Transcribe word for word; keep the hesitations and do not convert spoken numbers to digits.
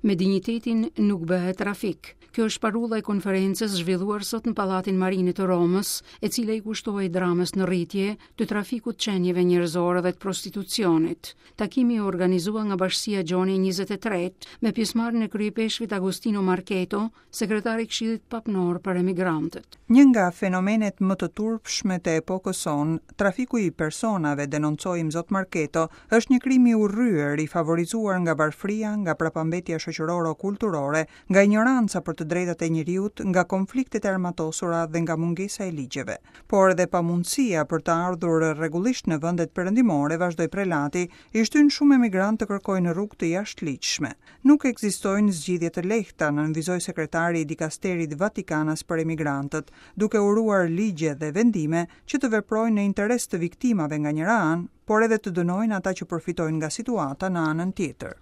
Me dinjitetin nuk bëhet trafik. Kjo është parulla e konferencës zhvilluar sot në Pallatin Marini të Romës, e cila i kushtohej dramës në rritje të trafikut qenieve njerëzore dhe të prostitucionit. Takimi u organizua nga Bashkësia Gjoni njëzet e tre, me pjesëmarrjen e kryepeshkvit Agostino Marchetto, sekretari i Këshillit Papnor për Emigrantët. Një nga fenomenet më të turpshme të epokës sonë, trafiku i personave, denoncoi Imzot Marchetto, është një krim i urryer, i favorizuar nga varfëria, nga prapambetja shoqëroro-kulturore, nga ignoranca për të drejtat e njeriut, nga konfliktet e armatosura dhe nga mungesa e ligjeve. Por edhe pamundësia për të ardhur rregullisht në vendet perëndimore, vazhdoi prelati, i shtyn shumë emigrantë të kërkojnë rrugë të jashtëligjshme. Nuk ekzistojnë zgjidhje të lehta, nënvizoi sekretari i dikasterit Vatikanas për emigrantët, duke uruar ligje dhe vendime që të veprojnë në interes të viktimave nga njëra anë, por edhe të dënojnë ata që përfitojnë nga situata në anën tjetër.